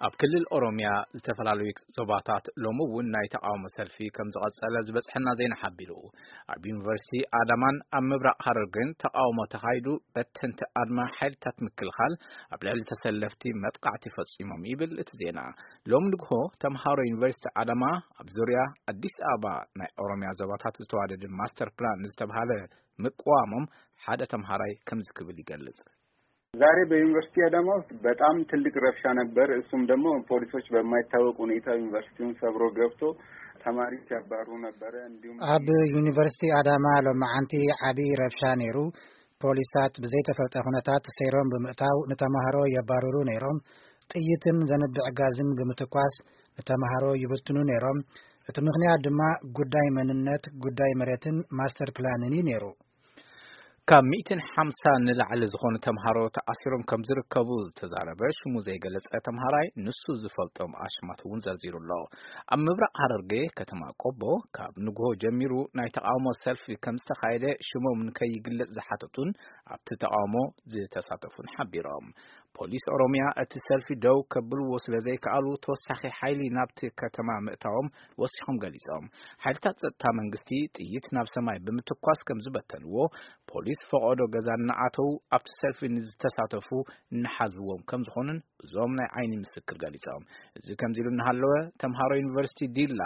ኣብ ክልል ኦሮምያ ዝተፈላለዩ ዞባታት ሎሚ እውን ናይ ተቃውሞ ሰልፊ ከም ዝቐጸለ ዝበጽሐና ዜና ሓቢሩ። ኣብ ዩኒቨርሲቲ ኣዳማን ኣብ ምብራቕ ሃረርጌን ተቃውሞ ተኻይዱ፣ በተንቲ ኣድማ ሓይልታት ምክልኻል ኣብ ልዕሊ ተሰለፍቲ መጥቃዕቲ ፈጺሞም ይብል እቲ ዜና። ሎም ንግሆ ተምሃሮ ዩኒቨርሲቲ ኣዳማ ኣብ ዙርያ ኣዲስ ኣበባ ናይ ኦሮምያ ዞባታት ዝተዋደደ ማስተር ፕላን ዝተባሃለ ምቅዋሞም ሓደ ተምሃራይ ከምዚ ክብል ይገልጽ። ዛሬ በዩኒቨርሲቲ አዳማ ውስጥ በጣም ትልቅ ረብሻ ነበር። እሱም ደግሞ ፖሊሶች በማይታወቅ ሁኔታ ዩኒቨርሲቲውን ሰብሮ ገብቶ ተማሪ ሲያባሩ ነበረ። እንዲሁም ኣብ ዩኒቨርሲቲ ኣዳማ ሎማዓንቲ ዓቢ ረብሻ ነይሩ። ፖሊሳት ብዘይተፈልጠ ኩነታት ሰይሮም ብምእታው ንተማሃሮ የባርሩ ነይሮም። ጥይትን ዘንብዕ ጋዝን ብምትኳስ ንተማሃሮ ይብትኑ ነይሮም። እቲ ምኽንያት ድማ ጉዳይ መንነት፣ ጉዳይ መሬትን ማስተር ፕላንን እዩ ነይሩ። ካብ ሚእትን ሓምሳ ንላዕሊ ዝኾኑ ተምሃሮ ተኣሲሮም ከም ዝርከቡ ዝተዛረበ ሽሙ ዘይገለጸ ተምሃራይ፣ ንሱ ዝፈልጦም ኣሽማት እውን ዘርዚሩ ኣሎ። ኣብ ምብራቕ ሃረርጌ ከተማ ቆቦ ካብ ንግሆ ጀሚሩ ናይ ተቃውሞ ሰልፊ ከም ዝተኻየደ ሽሞም ንከይግለጽ ዝሓተቱን ኣብቲ ተቃውሞ ዝተሳተፉን ሓቢሮም። ፖሊስ ኦሮምያ እቲ ሰልፊ ደው ከብልዎ ስለ ዘይከኣሉ ተወሳኺ ሓይሊ ናብቲ ከተማ ምእታዎም ወሲኾም ገሊጾም። ሓይልታት ጸጥታ መንግስቲ ጥይት ናብ ሰማይ ብምትኳስ ከም ዝበተንዎ፣ ፖሊስ ፈቐዶ ገዛ እናኣተው ኣብቲ ሰልፊ ንዝተሳተፉ እናሓዝዎም ከም ዝኾኑን እዞም ናይ ዓይኒ ምስክር ገሊጾም። እዚ ከምዚ ኢሉ እናሃለወ፣ ተምሃሮ ዩኒቨርሲቲ ዲላ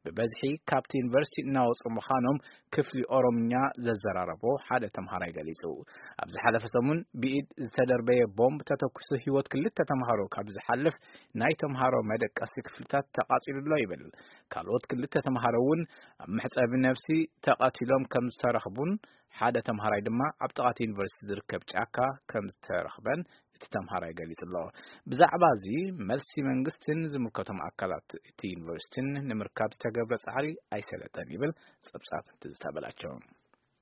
ብበዝሒ ካብቲ ዩኒቨርሲቲ እናወጹ ምዃኖም ክፍሊ ኦሮምኛ ዘዘራረቦ ሓደ ተምሃራይ ገሊጹ። ኣብ ዝሓለፈ ሰሙን ብኢድ ዝተደርበየ ቦምብ ተተኩሱ ህይወት ክልተ ተምሃሮ ካብ ዝሓልፍ፣ ናይ ተምሃሮ መደቀሲ ክፍልታት ተቃጺሉ ኣሎ ይብል። ካልኦት ክልተ ተምሃሮ እውን ኣብ መሕጸቢ ነፍሲ ተቐቲሎም ከም ዝተረኽቡን ሓደ ተምሃራይ ድማ ኣብ ጥቓ እቲ ዩኒቨርሲቲ ዝርከብ ጫካ ከም ዝተረኽበን እቲ ተምሃራይ ገሊጹ ኣሎ። ብዛዕባ እዚ መልሲ መንግስትን ዝምልከቶም ኣካላት እቲ ዩኒቨርሲቲን ንምርካብ ዝተገብረ ጻዕሪ ኣይሰለጠን ይብል ጸብጻብ ትዝታ በላቸው።